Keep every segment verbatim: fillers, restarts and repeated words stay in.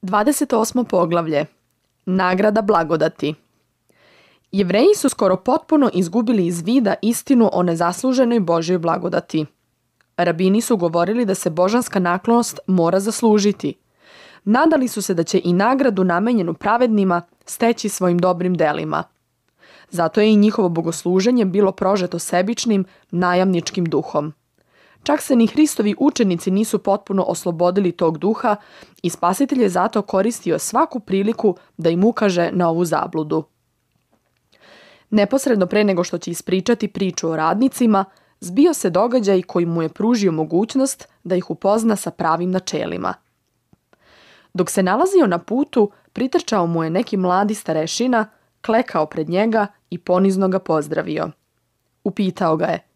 dvadeset osmo poglavlje. Nagrada blagodati. Jevreji su skoro potpuno izgubili iz vida istinu o nezasluženoj Božjoj blagodati. Rabini su govorili da se božanska naklonost mora zaslužiti. Nadali su se da će i nagradu namenjenu pravednima steći svojim dobrim delima. Zato je i njihovo bogosluženje bilo prožeto sebičnim, najamničkim duhom. Čak se ni Hristovi učenici nisu potpuno oslobodili tog duha i Spasitelj je zato koristio svaku priliku da im ukaže na ovu zabludu. Neposredno pre nego što će ispričati priču o radnicima, zbio se događaj koji mu je pružio mogućnost da ih upozna sa pravim načelima. Dok se nalazio na putu, pritrčao mu je neki mladi starešina, klekao pred njega i ponizno ga pozdravio. Upitao ga je: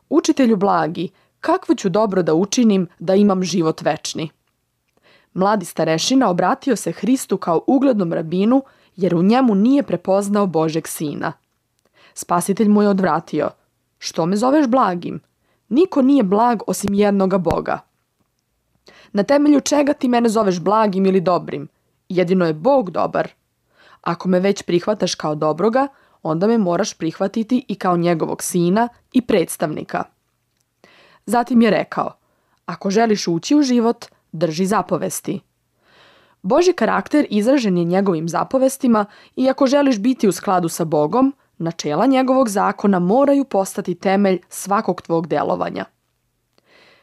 "Učitelju blagi, kakvo ću dobro da učinim da imam život večni?" Mladi starešina obratio se Hristu kao uglednom rabinu, jer u njemu nije prepoznao Božjeg sina. Spasitelj mu je odvratio: "Što me zoveš blagim? Niko nije blag osim jednoga Boga." "Na temelju čega ti mene zoveš blagim ili dobrim? Jedino je Bog dobar. Ako me već prihvataš kao dobroga, onda me moraš prihvatiti i kao njegovog sina i predstavnika." Zatim je rekao: "Ako želiš ući u život, drži zapovesti." Božji karakter izražen je njegovim zapovestima i ako želiš biti u skladu sa Bogom, načela njegovog zakona moraju postati temelj svakog tvog delovanja.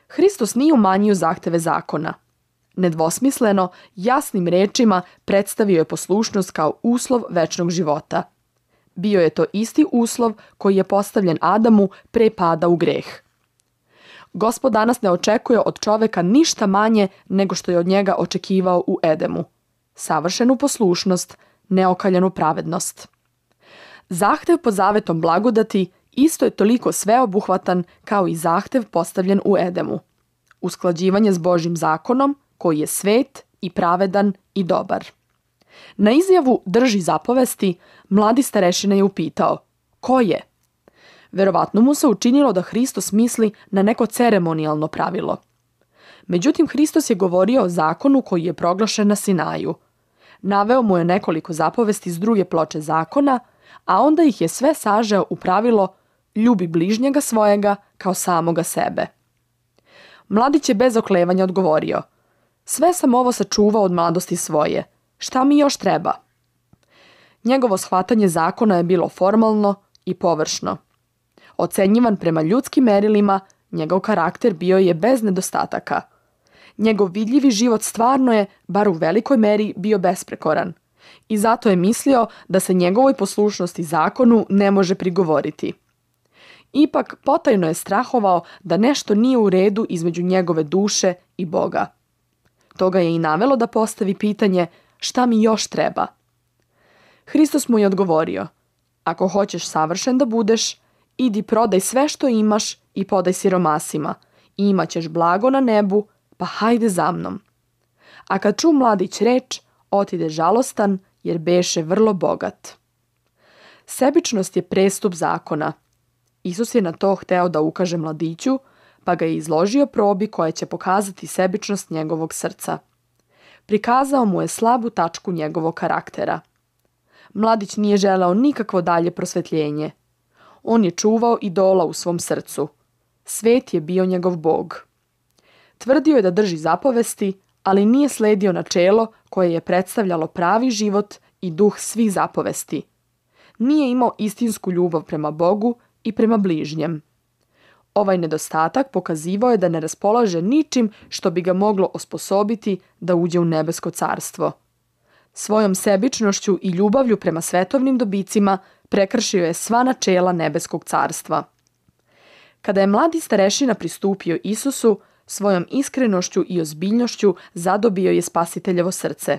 Hristos nije umanjio zahteve zakona. Nedvosmisleno, jasnim rečima predstavio je poslušnost kao uslov večnog života. Bio je to isti uslov koji je postavljen Adamu pre pada u greh. Gospod danas ne očekuje od čoveka ništa manje nego što je od njega očekivao u Edemu. Savršenu poslušnost, neokaljanu pravednost. Zahtev pod zavetom blagodati isto je toliko sveobuhvatan kao i zahtev postavljen u Edemu. Usklađivanje s Božjim zakonom koji je svet i pravedan i dobar. Na izjavu "drži zapovesti" mladi starešina je upitao: "Ko je?" Verovatno mu se učinilo da Hristos misli na neko ceremonijalno pravilo. Međutim, Hristos je govorio o zakonu koji je proglašen na Sinaju. Naveo mu je nekoliko zapovesti s druge ploče zakona, a onda ih je sve sažeo u pravilo: ljubi bližnjega svojega kao samoga sebe. Mladić je bez oklevanja odgovorio: "Sve sam ovo sačuvao od mladosti svoje. Šta mi još treba?" Njegovo shvatanje zakona je bilo formalno i površno. Ocenjivan prema ljudskim merilima, njegov karakter bio je bez nedostataka. Njegov vidljivi život stvarno je, bar u velikoj meri, bio besprekoran. I zato je mislio da se njegovoj poslušnosti zakonu ne može prigovoriti. Ipak, potajno je strahovao da nešto nije u redu između njegove duše i Boga. To ga je i navelo da postavi pitanje: "Šta mi još treba?" Hristos mu je odgovorio: "Ako hoćeš savršen da budeš, idi prodaj sve što imaš i podaj siromasima i imat ćeš blago na nebu, pa hajde za mnom." A kad ču mladić reč, otide žalostan jer beše vrlo bogat. Sebičnost je prestup zakona. Isus je na to hteo da ukaže mladiću, pa ga je izložio probi koja će pokazati sebičnost njegovog srca. Prikazao mu je slabu tačku njegovog karaktera. Mladić nije želeo nikakvo dalje prosvetljenje. On je čuvao idola u svom srcu. Svet je bio njegov Bog. Tvrdio je da drži zapovesti, ali nije sledio načelo koje je predstavljalo pravi život i duh svih zapovesti. Nije imao istinsku ljubav prema Bogu i prema bližnjem. Ovaj nedostatak pokazivao je da ne raspolaže ničim što bi ga moglo osposobiti da uđe u nebesko carstvo. Svojom sebičnošću i ljubavlju prema svetovnim dobicima prekršio je sva načela nebeskog carstva. Kada je mladi starešina pristupio Isusu, svojom iskrenošću i ozbiljnošću zadobio je Spasiteljevo srce.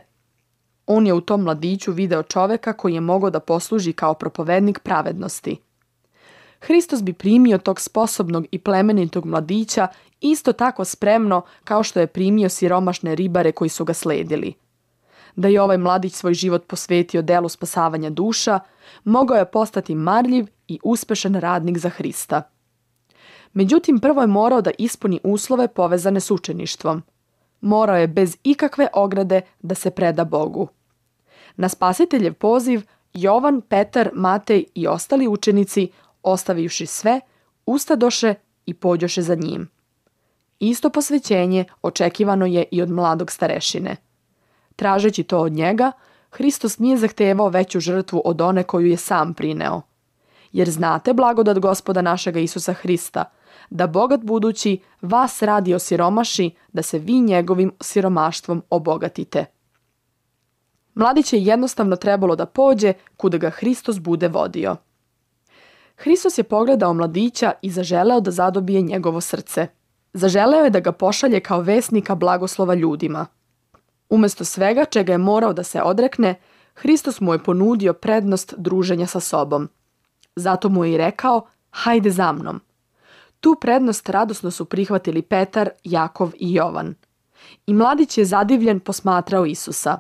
On je u tom mladiću video čoveka koji je mogao da posluži kao propovednik pravednosti. Hristos bi primio tog sposobnog i plemenitog mladića isto tako spremno kao što je primio siromašne ribare koji su ga sledili. Da je ovaj mladić svoj život posvetio delu spasavanja duša, mogao je postati marljiv i uspešan radnik za Hrista. Međutim, prvo je morao da ispuni uslove povezane s učeništvom. morao je bez ikakve ograde da se preda Bogu. Na Spasiteljev poziv Jovan, Petar, Matej i ostali učenici, ostavivši sve, ustadoše i pođoše za njim. Isto posvećenje očekivano je i od mladog starešine. Tražeći to od njega, Hristos nije zahtevao veću žrtvu od one koju je sam prineo. Jer znate blagodat Gospoda našega Isusa Hrista, da bogat budući vas radi osiromaši, da se vi njegovim siromaštvom obogatite. Mladić je jednostavno trebalo da pođe kuda ga Hristos bude vodio. Hristos je pogledao mladića i zaželeo da zadobije njegovo srce. Zaželeo je da ga pošalje kao vesnika blagoslova ljudima. Umesto svega čega je morao da se odrekne, Hristos mu je ponudio prednost druženja sa sobom. Zato mu je i rekao, hajde za mnom. Tu prednost radosno su prihvatili Petar, Jakov i Jovan. I mladić je zadivljen posmatrao Isusa.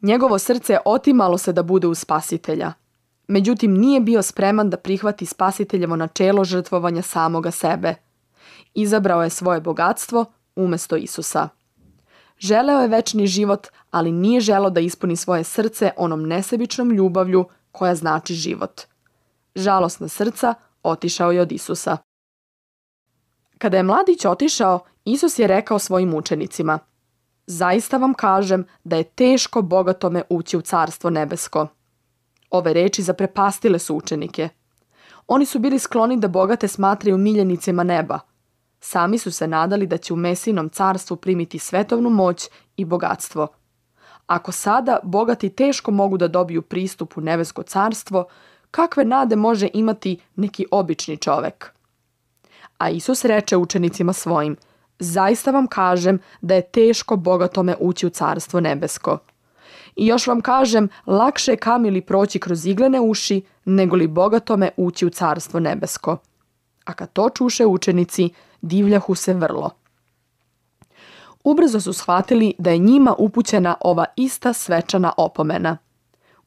Njegovo srce otimalo se da bude uz Spasitelja. Međutim, nije bio spreman da prihvati Spasiteljevo načelo žrtvovanja samoga sebe. Izabrao je svoje bogatstvo umesto Isusa. Želeo je večni život, ali nije želeo da ispuni svoje srce onom nesebičnom ljubavlju koja znači život. Žalosna srca otišao je od Isusa. Kada je mladić otišao, Isus je rekao svojim učenicima: zaista vam kažem da je teško bogatome ući u carstvo nebesko. Ove reči zaprepastile su učenike. Oni su bili skloni da bogate smatraju miljenicima neba. Sami su se nadali da će u Mesijinom carstvu primiti svetovnu moć i bogatstvo. Ako sada bogati teško mogu da dobiju pristup u nebesko carstvo, kakve nade može imati neki obični čovek? A Isus reče učenicima svojim: zaista vam kažem da je teško bogatome ući u carstvo nebesko. I još vam kažem, lakše je kamili proći kroz iglene uši, nego li bogatome ući u carstvo nebesko. A kad to čuše učenici, divljahu se vrlo. Ubrzo su shvatili da je njima upućena ova ista svečana opomena.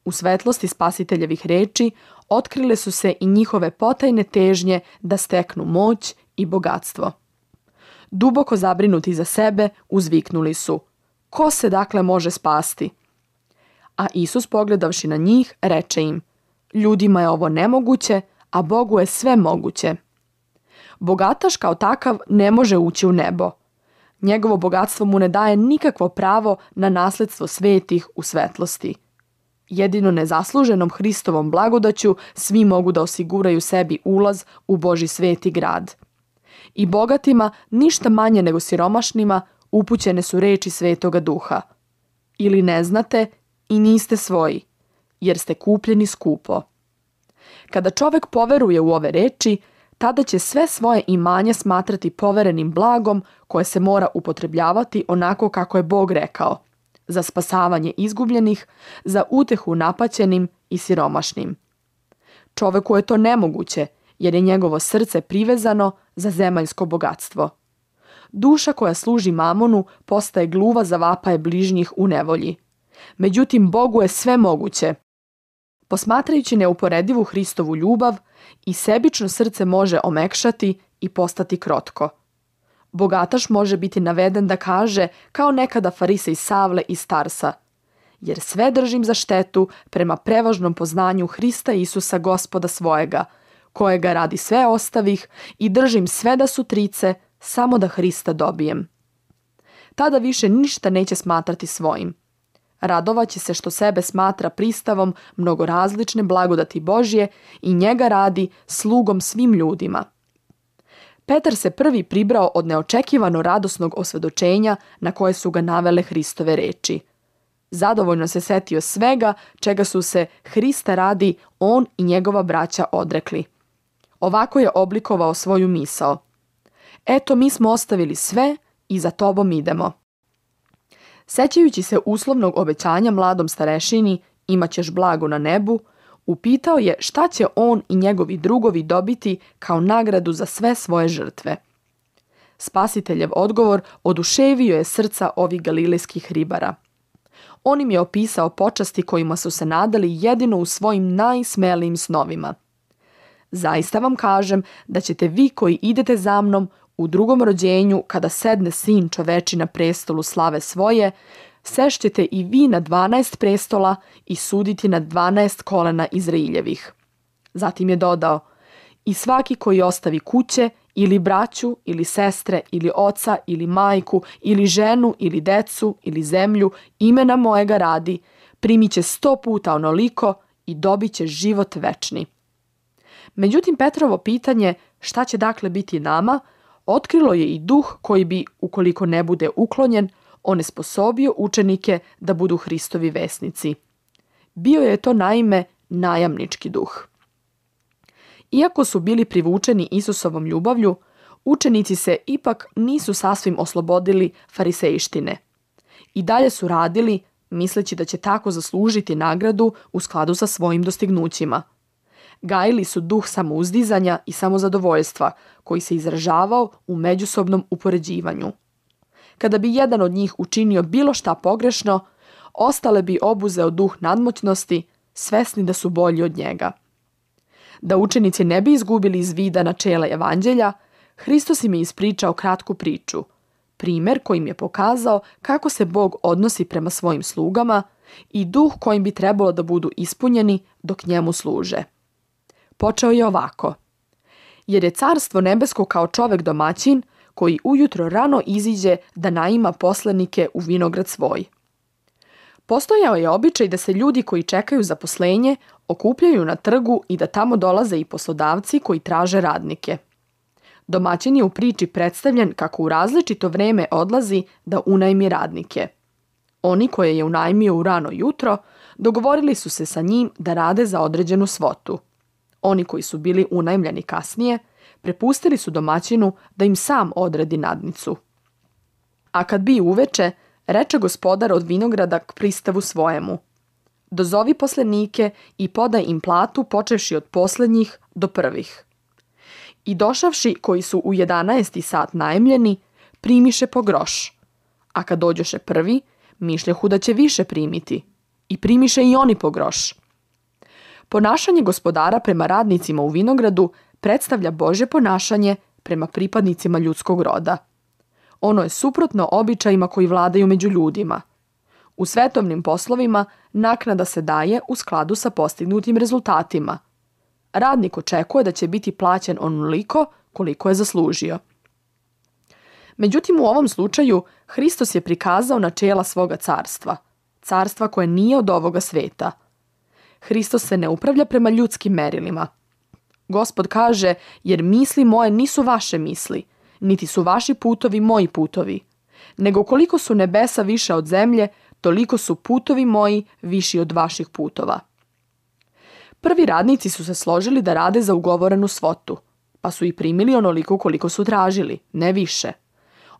U svetlosti Spasiteljevih reči otkrile su se i njihove potajne težnje da steknu moć i bogatstvo. Duboko zabrinuti za sebe, uzviknuli su: ko se dakle može spasti? A Isus, pogledavši na njih, reče im: ljudima je ovo nemoguće, a Bogu je sve moguće. Bogataš kao takav ne može ući u nebo. Njegovo bogatstvo mu ne daje nikakvo pravo na nasledstvo svetih u svetlosti. Jedino nezasluženom Hristovom blagodaću svi mogu da osiguraju sebi ulaz u Božji sveti grad. I bogatima, ništa manje nego siromašnima, upućene su reči Svetoga Duha: ili ne znate i niste svoji, jer ste kupljeni skupo. Kada čovek poveruje u ove reči, tada će sve svoje imanje smatrati poverenim blagom koje se mora upotrebljavati onako kako je Bog rekao, za spasavanje izgubljenih, za utehu napaćenim i siromašnim. Čoveku je to nemoguće, jer je njegovo srce privezano za zemaljsko bogatstvo. Duša koja služi mamonu postaje gluva za vapaje bližnjih u nevolji. Međutim, Bogu je sve moguće. Posmatrajući neuporedivu Hristovu ljubav, i sebično srce može omekšati i postati krotko. Bogataš može biti naveden da kaže, kao nekada farisej Savle iz Tarsa: jer sve držim za štetu prema prevažnom poznanju Hrista Isusa Gospoda svojega, kojega radi sve ostavih, i držim sve da su trice, samo da Hrista dobijem. Tada više ništa neće smatrati svojim. Radovaće se što sebe smatra pristavom mnogorazlične blagodati Božje i njega radi slugom svim ljudima. Petar se prvi pribrao od neočekivano radosnog osvedočenja na koje su ga navele Hristove reči. Zadovoljno se setio svega čega su se Hrista radi on i njegova braća odrekli. Ovako je oblikovao svoju misao: eto, mi smo ostavili sve i za tobom idemo. Sećajući se uslovnog obećanja mladom starešini, imaćeš blago na nebu, upitao je šta će on i njegovi drugovi dobiti kao nagradu za sve svoje žrtve. Spasiteljev odgovor oduševio je srca ovih galilejskih ribara. On im je opisao počasti kojima su se nadali jedino u svojim najsmelijim snovima. Zaista vam kažem da ćete vi koji idete za mnom u drugom rođenju, kada sedne sin čoveči na prestolu slave svoje, sešćete i vi na dvanaest prestola i suditi na dvanaest kolena Izraeljevih. Zatim je dodao, i svaki koji ostavi kuće, ili braću, ili sestre, ili oca, ili majku, ili ženu, ili decu, ili zemlju, imena mojega radi, primit će sto puta onoliko i dobit će život večni. Međutim, Petrovo pitanje šta će dakle biti nama, otkrilo je i duh koji bi, ukoliko ne bude uklonjen, onesposobio učenike da budu Hristovi vesnici. Bio je to naime najamnički duh. Iako su bili privučeni Isusovom ljubavlju, učenici se ipak nisu sasvim oslobodili farisejštine. I dalje su radili, misleći da će tako zaslužiti nagradu u skladu sa svojim dostignućima. Gajili su duh samouzdizanja i samozadovoljstva, koji se izražavao u međusobnom upoređivanju. Kada bi jedan od njih učinio bilo šta pogrešno, ostale bi obuzeo duh nadmoćnosti, svesni da su bolji od njega. Da učenici ne bi izgubili iz vida načela evanđelja, Hristos im je ispričao kratku priču, primjer kojim je pokazao kako se Bog odnosi prema svojim slugama i duh kojim bi trebalo da budu ispunjeni dok njemu služe. Počeo je ovako. Jer je carstvo nebesko kao čovek domaćin koji ujutro rano iziđe da naima poslenike u vinograd svoj. Postojao je običaj da se ljudi koji čekaju zaposlenje okupljaju na trgu i da tamo dolaze i poslodavci koji traže radnike. Domaćin je u priči predstavljen kako u različito vreme odlazi da unajmi radnike. Oni koje je unajmio u rano jutro dogovorili su se sa njim da rade za određenu svotu. Oni koji su bili unajmljeni kasnije prepustili su domaćinu da im sam odredi nadnicu. A kad bi uveče, reče gospodar od vinograda k pristavu svojemu. Dozovi poslenike i podaj im platu počevši od poslednjih do prvih. I došavši koji su u jedanaesti sat najemljeni, primiše po groš. A kad dođoše prvi, mišljahu da će više primiti. I primiše i oni po groš. Ponašanje gospodara prema radnicima u vinogradu predstavlja Božje ponašanje prema pripadnicima ljudskog roda. Ono je suprotno običajima koji vladaju među ljudima. U svetovnim poslovima naknada se daje u skladu sa postignutim rezultatima. Radnik očekuje da će biti plaćen onoliko koliko je zaslužio. Međutim, u ovom slučaju Hristos je prikazao načela svoga carstva, carstva koje nije od ovoga sveta. Hristos se ne upravlja prema ljudskim merilima. Gospod kaže, jer misli moje nisu vaše misli, niti su vaši putovi moji putovi, nego koliko su nebesa više od zemlje, toliko su putovi moji viši od vaših putova. Prvi radnici su se složili da rade za ugovorenu svotu, pa su i primili onoliko koliko su tražili, ne više.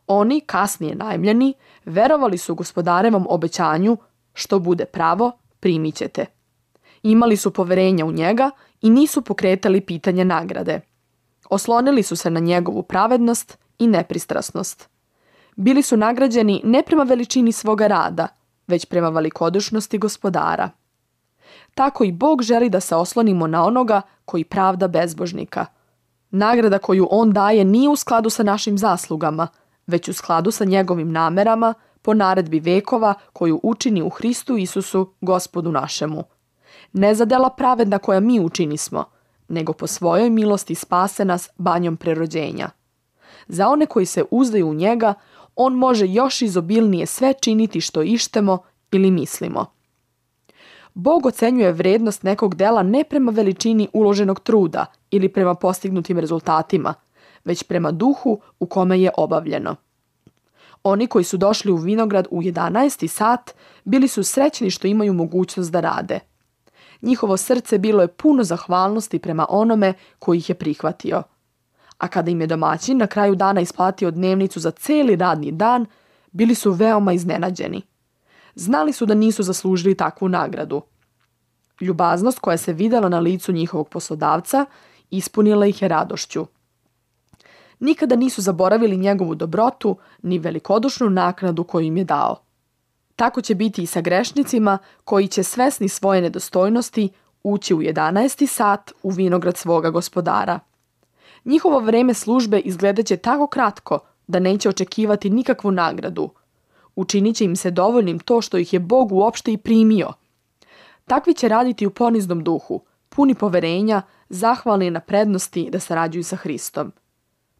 Oni, kasnije najmljeni, verovali su gospodarevom obećanju, što bude pravo, primit ćete. Imali su poverenja u njega i nisu pokretali pitanje nagrade. Oslonili su se na njegovu pravednost i nepristrasnost. Bili su nagrađeni ne prema veličini svoga rada, već prema velikodušnosti gospodara. Tako i Bog želi da se oslonimo na onoga koji pravda bezbožnika. Nagrada koju on daje nije u skladu sa našim zaslugama, već u skladu sa njegovim namerama po naredbi vekova koju učini u Hristu Isusu, Gospodu našemu. Ne za dela pravedna koja mi učinismo, nego po svojoj milosti spase nas banjom prerođenja. Za one koji se uzdaju u njega, on može još izobilnije sve činiti što ištemo ili mislimo. Bog ocenjuje vrednost nekog dela ne prema veličini uloženog truda ili prema postignutim rezultatima, već prema duhu u kome je obavljeno. Oni koji su došli u vinograd u jedanaesti sat bili su srećni što imaju mogućnost da rade. Njihovo srce bilo je puno zahvalnosti prema onome koji ih je prihvatio. A kada im je domaćin na kraju dana isplatio dnevnicu za celi radni dan, bili su veoma iznenađeni. Znali su da nisu zaslužili takvu nagradu. Ljubaznost koja se videla na licu njihovog poslodavca ispunila ih je radošću. Nikada nisu zaboravili njegovu dobrotu ni velikodušnu naknadu koju im je dao. Tako će biti i sa grešnicima koji će svesni svoje nedostojnosti ući u jedanaesti sat u vinograd svoga gospodara. Njihovo vreme službe izgledaće tako kratko da neće očekivati nikakvu nagradu. Učinit će im se dovoljnim to što ih je Bog uopšte i primio. Takvi će raditi u poniznom duhu, puni poverenja, zahvalni na prednosti da sarađuju sa Hristom.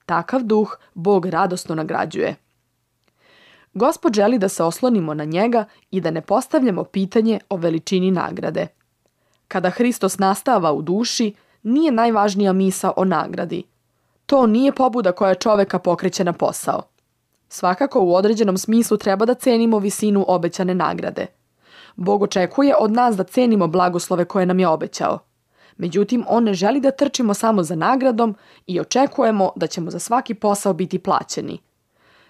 Takav duh Bog radosno nagrađuje. Gospod želi da se oslonimo na njega i da ne postavljamo pitanje o veličini nagrade. Kada Hristos nastava u duši, nije najvažnija misao o nagradi. To nije pobuda koja čoveka pokreće na posao. Svakako u određenom smislu treba da cenimo visinu obećane nagrade. Bog očekuje od nas da cenimo blagoslove koje nam je obećao. Međutim, on ne želi da trčimo samo za nagradom i očekujemo da ćemo za svaki posao biti plaćeni.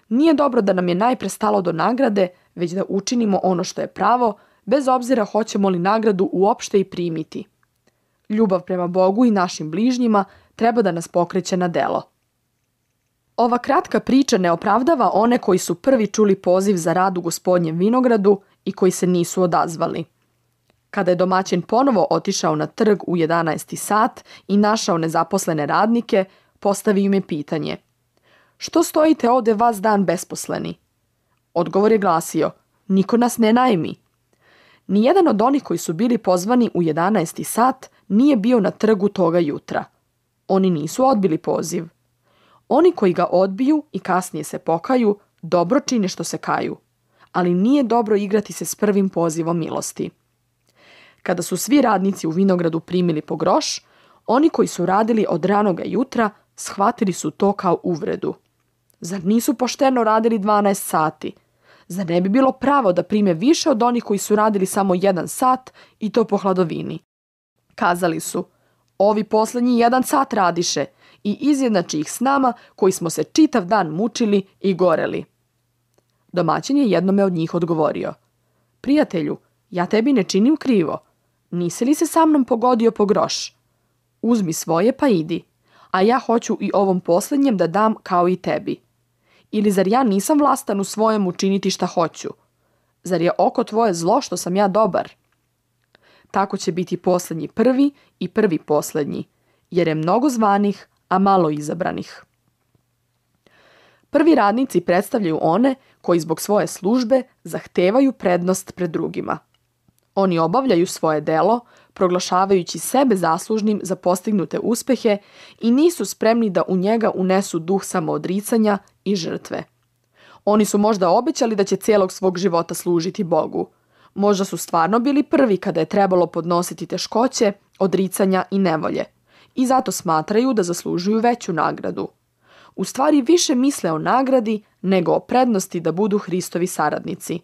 Nije dobro da nam je najpre stalo do nagrade, već da učinimo ono što je pravo, bez obzira hoćemo li nagradu uopšte i primiti. Ljubav prema Bogu i našim bližnjima treba da nas pokreće na delo. Ova kratka priča ne opravdava one koji su prvi čuli poziv za rad u Gospodnjem vinogradu i koji se nisu odazvali. Kada je domaćin ponovo otišao na trg u jedanaesti sat i našao nezaposlene radnike, postavio im je pitanje: "Što stojite ovde vas dan besposleni?" Odgovor je glasio: "Niko nas ne najmi." Nijedan od onih koji su bili pozvani u jedanaesti sat nije bio na trgu toga jutra. Oni nisu odbili poziv. Oni koji ga odbiju i kasnije se pokaju, dobro čine što se kaju, ali nije dobro igrati se s prvim pozivom milosti. Kada su svi radnici u vinogradu primili po groš, oni koji su radili od ranoga jutra shvatili su to kao uvredu. Zar nisu pošteno radili dvanaest sati? Zar ne bi bilo pravo da prime više od onih koji su radili samo jedan sat i to po hladovini? Kazali su: "Ovi poslednji jedan sat radiše i izjednači ih s nama koji smo se čitav dan mučili i goreli." Domaćin je jednome od njih odgovorio: "Prijatelju, ja tebi ne činim krivo. Nisi li se sa mnom pogodio po groš? Uzmi svoje pa idi, a ja hoću i ovom poslednjem da dam kao i tebi. Ili zar ja nisam vlastan u svojem učiniti šta hoću? Zar je oko tvoje zlo što sam ja dobar?" Tako će biti poslednji prvi i prvi poslednji, jer je mnogo zvanih, a malo izabranih. Prvi radnici predstavljaju one koji zbog svoje službe zahtevaju prednost pred drugima. Oni obavljaju svoje delo, proglašavajući sebe zaslužnim za postignute uspehe i nisu spremni da u njega unesu duh samoodricanja i žrtve. Oni su možda obećali da će cijelog svog života služiti Bogu. Možda su stvarno bili prvi kada je trebalo podnositi teškoće, odricanja i nevolje. I zato smatraju da zaslužuju veću nagradu. U stvari više misle o nagradi nego o prednosti da budu Hristovi saradnici.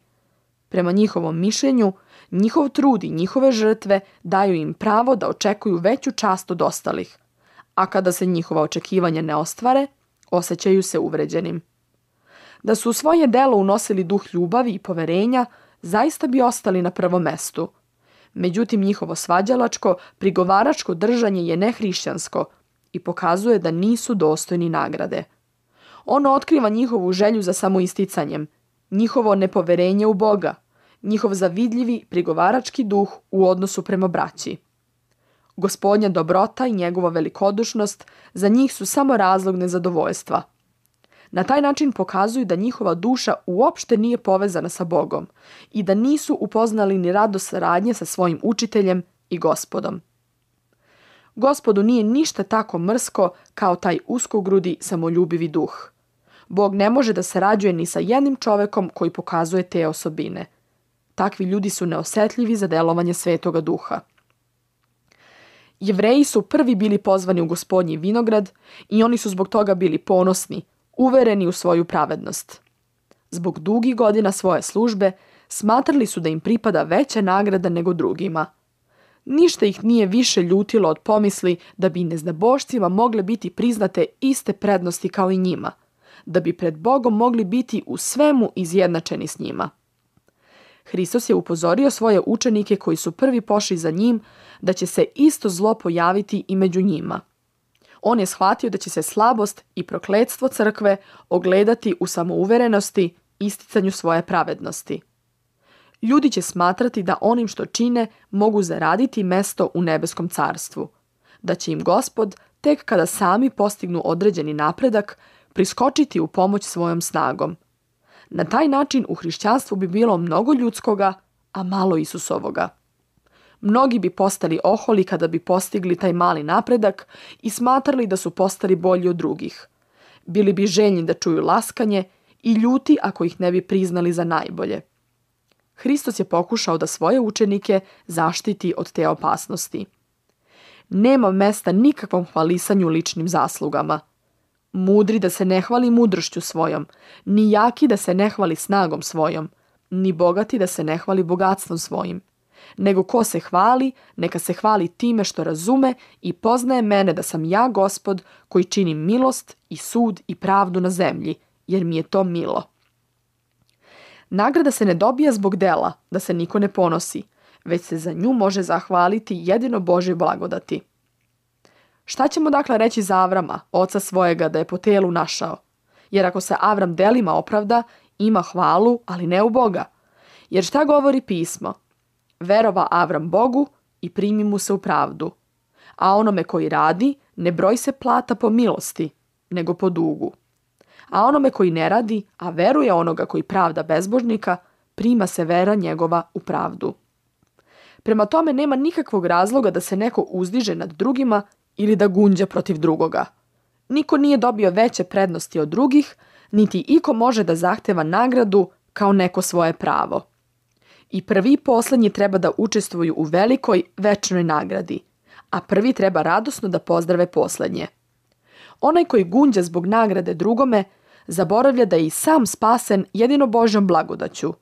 Prema njihovom mišljenju, njihov trud i njihove žrtve daju im pravo da očekuju veću čast od ostalih, a kada se njihova očekivanja ne ostvare, osjećaju se uvređenim. Da su u svoje delo unosili duh ljubavi i poverenja, zaista bi ostali na prvom mestu. Međutim, njihovo svađalačko, prigovaračko držanje je nehrišćansko i pokazuje da nisu dostojni nagrade. Ono otkriva njihovu želju za samoisticanjem, njihovo nepoverenje u Boga, njihov zavidljivi prigovarački duh u odnosu prema braći. Gospodnja dobrota i njegova velikodušnost za njih su samo razlog nezadovoljstva. Na taj način pokazuju da njihova duša uopšte nije povezana sa Bogom i da nisu upoznali ni radost saradnje sa svojim učiteljem i Gospodom. Gospodu nije ništa tako mrsko kao taj uskogrudi samoljubivi duh. Bog ne može da sarađuje ni sa jednim čovekom koji pokazuje te osobine. Takvi ljudi su neosetljivi za delovanje Svetoga Duha. Jevreji su prvi bili pozvani u Gospodnji vinograd i oni su zbog toga bili ponosni, uvereni u svoju pravednost. Zbog dugih godina svoje službe smatrali su da im pripada veća nagrada nego drugima. Ništa ih nije više ljutilo od pomisli da bi neznabošcima mogle biti priznate iste prednosti kao i njima, da bi pred Bogom mogli biti u svemu izjednačeni s njima. Hristos je upozorio svoje učenike koji su prvi pošli za njim da će se isto zlo pojaviti i među njima. On je shvatio da će se slabost i prokletstvo crkve ogledati u samouverenosti, isticanju svoje pravednosti. Ljudi će smatrati da onim što čine mogu zaraditi mesto u nebeskom carstvu, da će im Gospod tek kada sami postignu određeni napredak, priskočiti u pomoć svojom snagom. Na taj način u hrišćanstvu bi bilo mnogo ljudskoga, a malo Isusovoga. Mnogi bi postali oholi kada bi postigli taj mali napredak i smatrali da su postali bolji od drugih. Bili bi željni da čuju laskanje i ljuti ako ih ne bi priznali za najbolje. Hristos je pokušao da svoje učenike zaštiti od te opasnosti. Nema mesta nikakvom hvalisanju ličnim zaslugama. Mudri da se ne hvali mudrošću svojom, ni jaki da se ne hvali snagom svojom, ni bogati da se ne hvali bogatstvom svojim. Nego ko se hvali, neka se hvali time što razume i poznaje mene da sam ja Gospod koji činim milost i sud i pravdu na zemlji, jer mi je to milo. Nagrada se ne dobija zbog dela, da se niko ne ponosi, već se za nju može zahvaliti jedino Božje blagodati. Šta ćemo dakle reći za Avrama, oca svojega, da je po telu našao? Jer ako se Avram delima opravda, ima hvalu, ali ne u Boga. Jer šta govori pismo? Verova Avram Bogu i primi mu se u pravdu. A onome koji radi, ne broj se plata po milosti, nego po dugu. A onome koji ne radi, a veruje onoga koji pravda bezbožnika, prima se vera njegova u pravdu. Prema tome nema nikakvog razloga da se neko uzdiže nad drugima ili da gunđa protiv drugoga. Niko nije dobio veće prednosti od drugih, niti iko može da zahteva nagradu kao neko svoje pravo. I prvi i poslednji treba da učestvuju u velikoj večnoj nagradi, a prvi treba radosno da pozdrave poslednje. Onaj koji gunđa zbog nagrade drugome, zaboravlja da je i sam spasen jedino Božjom blagodaću.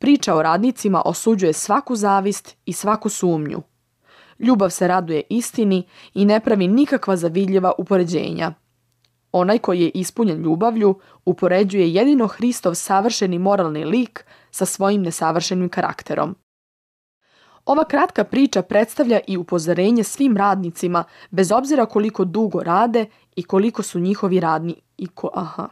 Priča o radnicima osuđuje svaku zavist i svaku sumnju. Ljubav se raduje istini i ne pravi nikakva zavidljiva upoređenja. Onaj koji je ispunjen ljubavlju upoređuje jedino Hristov savršeni moralni lik sa svojim nesavršenim karakterom. Ova kratka priča predstavlja i upozorenje svim radnicima, bez obzira koliko dugo rade i koliko su njihovi radni i ko... Aha.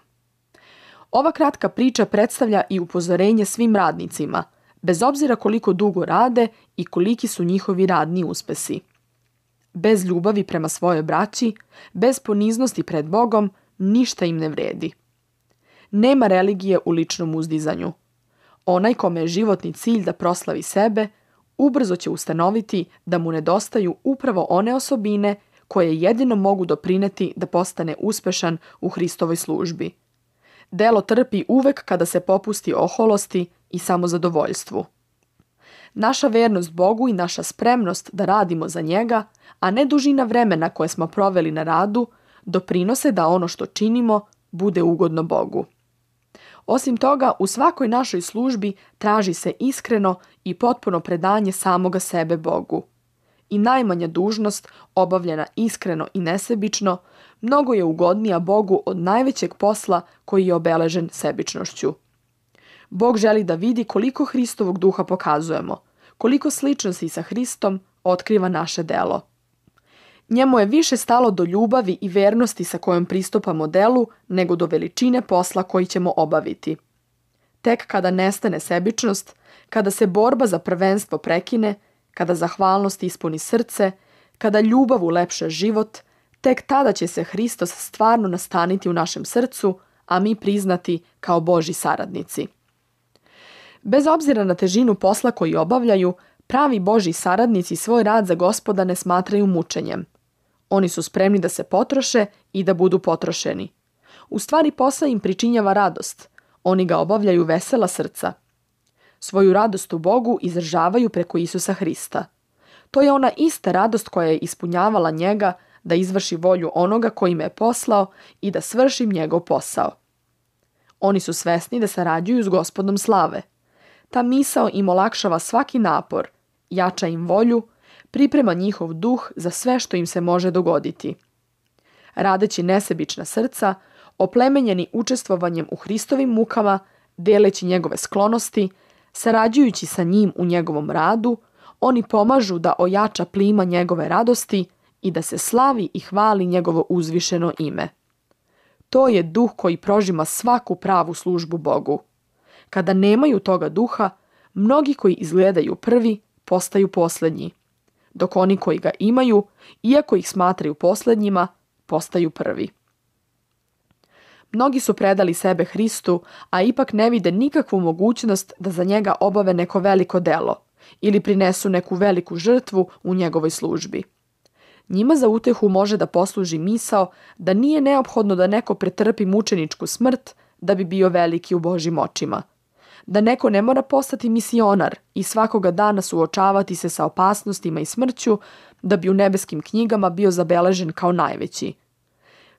Ova kratka priča predstavlja i upozorenje svim radnicima, bez obzira koliko dugo rade i koliki su njihovi radni uspesi. Bez ljubavi prema svojoj braći, bez poniznosti pred Bogom, ništa im ne vredi. Nema religije u ličnom uzdizanju. Onaj kome je životni cilj da proslavi sebe, ubrzo će ustanoviti da mu nedostaju upravo one osobine koje jedino mogu doprineti da postane uspešan u Hristovoj službi. Delo trpi uvek kada se popusti oholosti i samozadovoljstvu. Naša vernost Bogu i naša spremnost da radimo za njega, a ne dužina vremena koje smo proveli na radu, doprinose da ono što činimo bude ugodno Bogu. Osim toga, u svakoj našoj službi traži se iskreno i potpuno predanje samoga sebe Bogu. I najmanja dužnost, obavljena iskreno i nesebično, mnogo je ugodnija Bogu od najvećeg posla koji je obeležen sebičnošću. Bog želi da vidi koliko Hristovog duha pokazujemo, koliko sličnosti sa Hristom otkriva naše delo. Njemu je više stalo do ljubavi i vernosti sa kojom pristupamo delu nego do veličine posla koji ćemo obaviti. Tek kada nestane sebičnost, kada se borba za prvenstvo prekine, kada zahvalnost ispuni srce, kada ljubav ulepša život, tek tada će se Hristos stvarno nastaniti u našem srcu, a mi priznati kao Božji saradnici. Bez obzira na težinu posla koji obavljaju, pravi Božji saradnici svoj rad za Gospoda ne smatraju mučenjem. Oni su spremni da se potroše i da budu potrošeni. U stvari posao im pričinjava radost. Oni ga obavljaju vesela srca. Svoju radost u Bogu izražavaju preko Isusa Hrista. To je ona ista radost koja je ispunjavala njega da izvrši volju onoga koji me je poslao i da svršim njegov posao. Oni su svesni da sarađuju s Gospodom slave. Ta misao im olakšava svaki napor, jača im volju, priprema njihov duh za sve što im se može dogoditi. Radeći nesebična srca, oplemenjeni učestvovanjem u Hristovim mukama, deleći njegove sklonosti, sarađujući sa njim u njegovom radu, oni pomažu da ojača plima njegove radosti i da se slavi i hvali njegovo uzvišeno ime. To je duh koji prožima svaku pravu službu Bogu. Kada nemaju toga duha, mnogi koji izgledaju prvi postaju posljednji. dok oni koji ga imaju, iako ih smatraju posljednjima, postaju prvi. Mnogi su predali sebe Hristu, a ipak ne vide nikakvu mogućnost da za njega obave neko veliko delo ili prinesu neku veliku žrtvu u njegovoj službi. Njima za utehu može da posluži misao da nije neophodno da neko pretrpi mučeničku smrt da bi bio veliki u Božjim očima. Da neko ne mora postati misionar i svakoga dana suočavati se sa opasnostima i smrću da bi u nebeskim knjigama bio zabeležen kao najveći.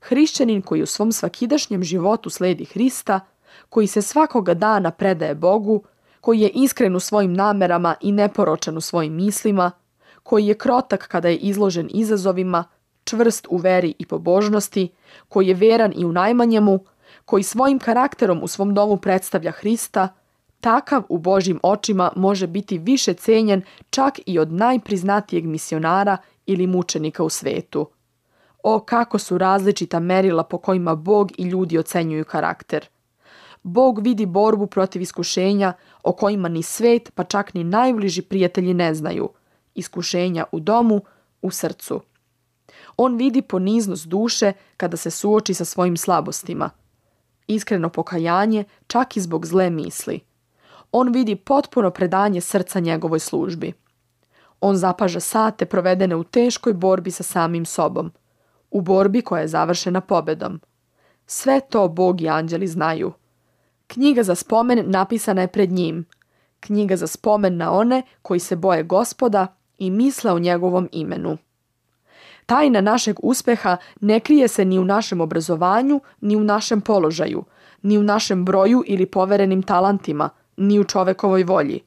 Hrišćanin koji u svom svakidašnjem životu sledi Hrista, koji se svakoga dana predaje Bogu, koji je iskren u svojim namerama i neporočan u svojim mislima, koji je krotak kada je izložen izazovima, čvrst u veri i pobožnosti, koji je veran i u najmanjemu, koji svojim karakterom u svom domu predstavlja Hrista, takav u Božjim očima može biti više cenjen čak i od najpriznatijeg misionara ili mučenika u svetu. O, kako su različita merila po kojima Bog i ljudi ocenjuju karakter. Bog vidi borbu protiv iskušenja o kojima ni svet, pa čak ni najbliži prijatelji ne znaju. Iskušenja u domu, u srcu. On vidi poniznost duše kada se suoči sa svojim slabostima. Iskreno pokajanje čak i zbog zle misli. On vidi potpuno predanje srca njegovoj službi. On zapaža sate provedene u teškoj borbi sa samim sobom. U borbi koja je završena pobedom. Sve to Bog i anđeli znaju. Knjiga za spomen napisana je pred njim. Knjiga za spomen na one koji se boje Gospoda i misle o njegovom imenu. Tajna našeg uspeha ne krije se ni u našem obrazovanju, ni u našem položaju, ni u našem broju ili poverenim talentima, ni u čovekovoj volji.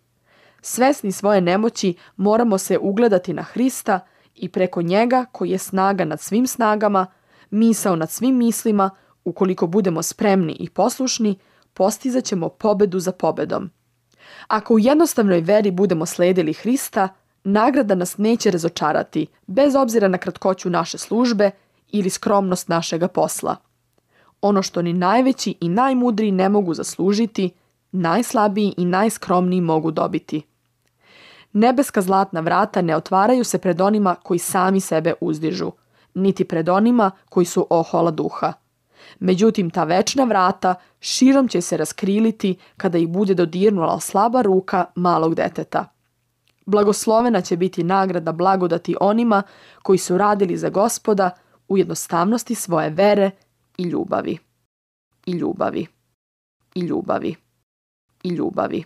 Svesni svoje nemoći moramo se ugledati na Hrista i preko njega koji je snaga nad svim snagama, misao nad svim mislima, ukoliko budemo spremni i poslušni, postizat ćemo pobedu za pobedom. Ako u jednostavnoj veri budemo sledili Hrista, nagrada nas neće razočarati, bez obzira na kratkoću naše službe ili skromnost našega posla. Ono što ni najveći i najmudriji ne mogu zaslužiti, najslabiji i najskromniji mogu dobiti. Nebeska zlatna vrata ne otvaraju se pred onima koji sami sebe uzdižu, niti pred onima koji su ohola duha. Međutim, ta večna vrata širom će se raskriliti kada ih bude dodirnula slaba ruka malog deteta. Blagoslovena će biti nagrada blagodati onima koji su radili za Gospoda u jednostavnosti svoje vere i ljubavi. I ljubavi. I ljubavi. I ljubavi.